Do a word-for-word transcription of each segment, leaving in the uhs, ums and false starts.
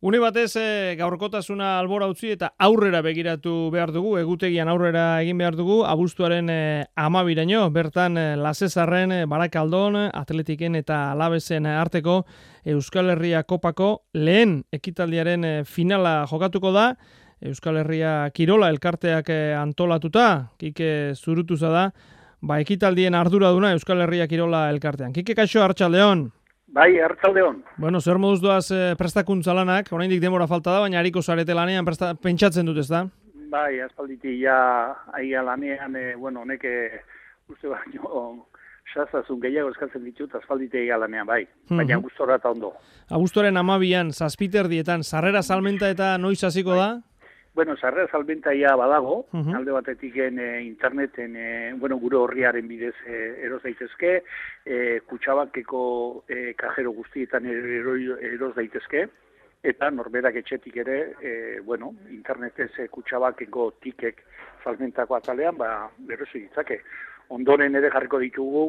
Une batez e, gaurkotasuna albora utzi eta aurrera begiratu behar dugu, egutegian aurrera egin behar dugu, abuztuaren e, amabiraino, bertan e, Lasezarren, e, Barakaldon, Atletiken eta Alabesen arteko Euskal Herria Kopako lehen ekitaldiaren e, finala jokatuko da, Euskal Herria Kirola elkarteak e, antolatuta, Kike Zurutuza da, ba, ekitaldien arduraduna Euskal Herria Kirola elkartean. Kike, kaixo, arratsaldeon. Bai, arratsaldeon. Bueno, zer moduz doaz e, prestakuntza lanak, oraindik denbora falta da, baina hariko zarete lanean presta, pentsatzen dut, ez da? Bai, aspalditi ja aia lanean, e, bueno, honek e, uste baino sazazun gehiago eskatzen ditut, aspalditi aia lanean, bai. Baina Mhm. gustora eta ondo. Abuztuaren amabian, zazpiterdietan, sarrera salmenta eta noiz hasiko da? Bueno, sarrera salmenta ia badago, Mhm. alde batetiken e, interneten, e, bueno, gure horriaren bidez e, eros daitezke, e, Kutxabankeko e, kajero guztietan ero, eros daitezke, eta norberak etxetik ere, e, bueno, internetez e, Kutxabankeko tikek salmentako atalean, ba, erosi ditzake. Ondoren ere jarriko ditugu,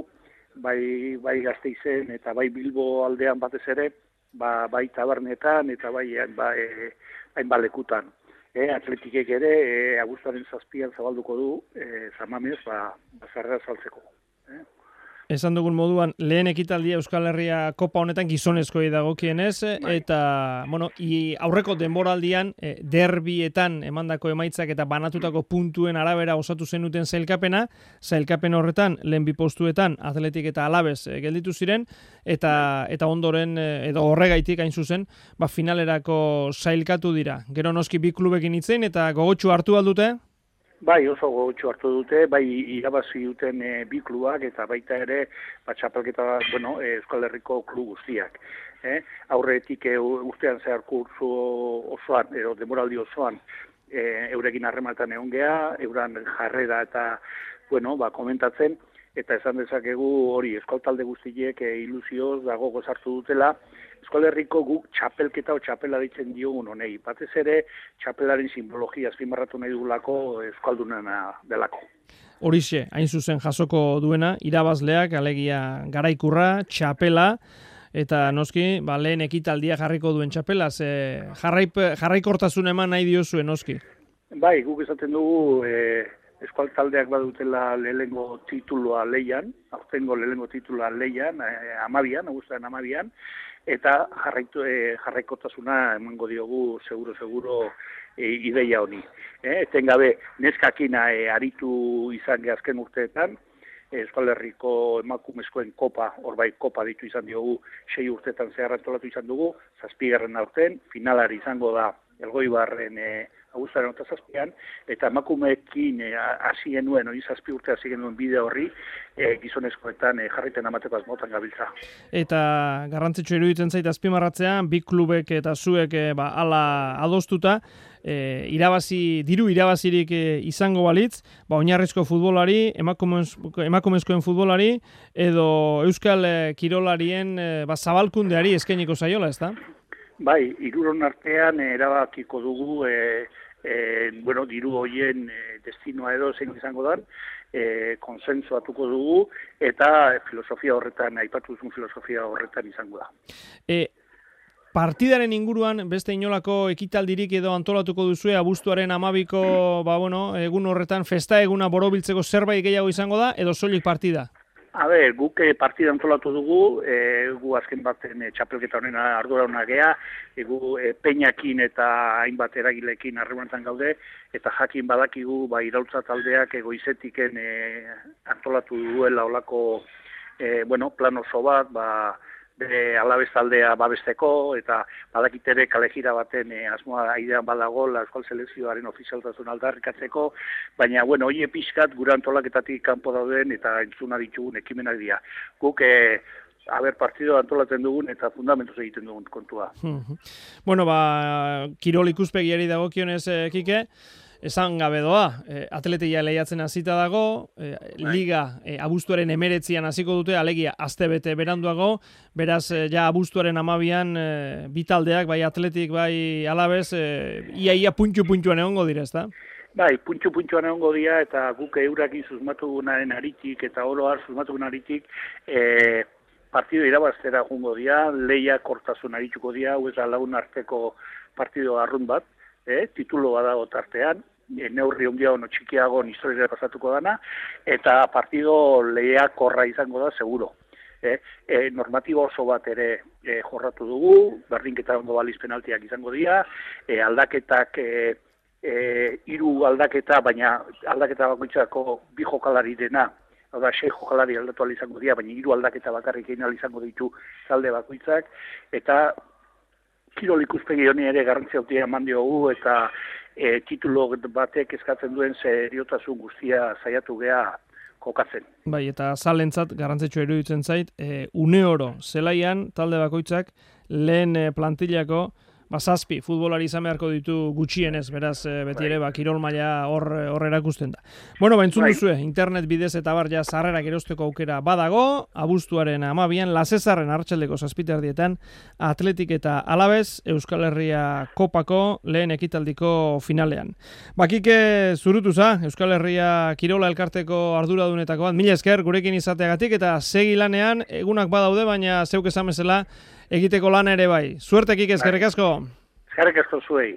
bai, bai Gasteizen eta bai Bilbo aldean batez ere, ba, bai tabernetan eta bai ba, e, hainbat lekutan. E, atletikek ere, e, abuztuaren zazpian zabalduko du, e, zamamez, ba, bazarra saltzeko. E? Esan dugun moduan, lehen ekitaldia Euskal Herria Kopa honetan gizonezkoei dagokienez, Bai. eta bueno, i, aurreko denboraldian e, derbietan emandako emaitzak eta banatutako puntuen arabera osatu zenuten zailkapena, zailkapen horretan lehen bi postuetan Atletik eta Alabez e, gelditu ziren, eta eta ondoren e, edo horregaitik hain zuzen, ba, finalerako zailkatu dira. Gero noski bi klubekin hitzein eta gogotsu hartu aldute? Bai, oso gogotsu hartu dute, bai irabazi duten e, bi klubak eta baita ere ba, txapelketa, bueno, e, Euskal Herriko klub guztiak. Eh? Aurretik e, urtean zehar kursu osoan, edo demoraldi osoan, e, eurekin harremanetan egon gea, euran jarrera eta, bueno, ba, komentatzen, eta esan dezakegu hori Euskal talde guztiek e, ilusioz dago gozartu dutela, Euskal Herriko guk txapelketa o txapela ditzen diogun honei. Batez ere, txapelaren simbologia azpimarratu nahi dugulako euskaldunena delako. Horixe, hain zuzen jasoko duena, irabazleak, alegia garaikurra, txapela, eta noski, ba, lehen ekitaldia jarriko duen txapela, ze jarraip, jarraikortasun eman nahi diozue, noski. Bai, guk esaten dugu e, Euskal taldeak badutela lehengo titulua leian, aurtengo lehengo titulua leian, e, amabian, abuztuaren amabian, eta jarraitu, e, jarraikotasuna emango diogu seguro-seguro e, ideia honi. E, etengabe, neskakina e, aritu izan ge azken urteetan, e, Euskal Herriko emakumezkoen kopa, horbait kopa ditu izan diogu, sei urteetan zehar antolatu izan dugu, zazpigarren aurten, finalari izango da Elgoibarren e, abuztuaren eta zazpian, eta emakumeekin hasi e, genuen, hori zazpi urte hasi genuen bide horri, e, gizonezkoetan e, jarriten amateko azmotan gabiltza. Eta garrantzitsu iruditzen zait azpimarratzean, bi klubek eta zuek e, ba, ala adostuta, e, irabazi, diru irabazirik e, izango balitz, ba, oinarrizko futbolari, emakumezko, emakumezkoen futbolari, edo Euskal e, Kirolarien e, ba, zabalkundeari eskainiko zaiola, ez da? Bai, hiruron artean e, erabakiko dugu, e, e, bueno, diru hoien e, destinoa edo zein izango da, e, konsensuatuko dugu, eta filosofia horretan, aipatu duzun filosofia horretan izango da. E, partidaren inguruan, beste inolako ekitaldirik edo antolatuko duzue, abuztuaren amabiko, ba, bueno, egun horretan, festa eguna borobiltzeko zerbait gehiago izango da, edo soilik partida? A ber, guk e, partida antolatu dugu, e, gu azken baten e, txapelketa honen ardura hona gea, e, gu e, peinakin eta hainbat eragilekin harremanetan gaude, eta jakin badakigu ba, iraultza taldeak egoizetiken e, antolatu duela olako e, bueno, plan oso bat, ba, bere Alabez taldea babesteko, eta badakit ere kalejira baten e, asmoa aidean badago, la Euskal Selekzioaren ofizialtasun aldarrikatzeko, baina, bueno, hori pixkat gure antolaketatik kanpo dauden eta entzuna ditugun ekimenak dira. Guk, e, haber partido antolatzen dugun eta fundamentuz egiten dugun kontua. Bueno, ba, kirol ikuspegiari dagokionez, eh, Kike, esan gabe doa, e, atletia lehiatzen hasita dago, e, liga e, abuztuaren emeretzian hasiko dute, alegia astebete beranduago, beraz e, ja abuztuaren amabian e, bitaldeak, bai atletik, bai Alabez, e, ia-ia puntxu-puntxuan egongo dira, ezta? Bai, puntxu-puntxuan egongo dira, eta guk eurakin susmatugunaren aritik, eta oro har susmatugun aritik, e, partido irabaztera jungo dira, leia kortasun arituko dira, hau ez da lagun arteko partido arrun bat, eh, titulo badago tartean, e, neurri ondiago no txikiago historiara pasatuko dana, eta partido lehiakorra izango da, seguro. E, e, normatibo oso bat ere e, jorratu dugu, berdinketa ondo baliz penaltiak izango dira, e, aldaketak, e, e, hiru aldaketa, baina aldaketa bakoitzako bi jokalari dena, hau da, sei jokalari aldatu ahal izango dira, baina hiru aldaketa bakarrik egin ahal izango ditu talde bakoitzak, eta kirol ikuspegi honi ere garrantzia handia eman diogu, eta e, titulo batek eskatzen duen seriotasun guztia saiatu gea kokatzen. Bai, eta zalentzat garrantzitsua iruditzen zait, e, une oro zelaian talde bakoitzak lehen e, plantillako ba, zazpi futbolari izan beharko ditu gutxienez, beraz e, beti ere ba, kirol maila hor hor erakusten da. Bueno, ba, entzun bai. duzue, internet bidez eta bar ja sarrerak erosteko aukera badago, abuztuaren hamabian, Lasezarren arratsaldeko zazpiterdietan, Atletik eta Alabez, Euskal Herria Kopako lehen ekitaldiko finalean. Bakike zurutuza, Euskal Herria Kirola elkarteko arduradunetako bat, mila esker gurekin izateagatik eta segi lanean, egunak badaude, baina zeuk esan bezala egiteko lana ere bai. Suertekik eskerrik asko. Eskerrik asko zuei.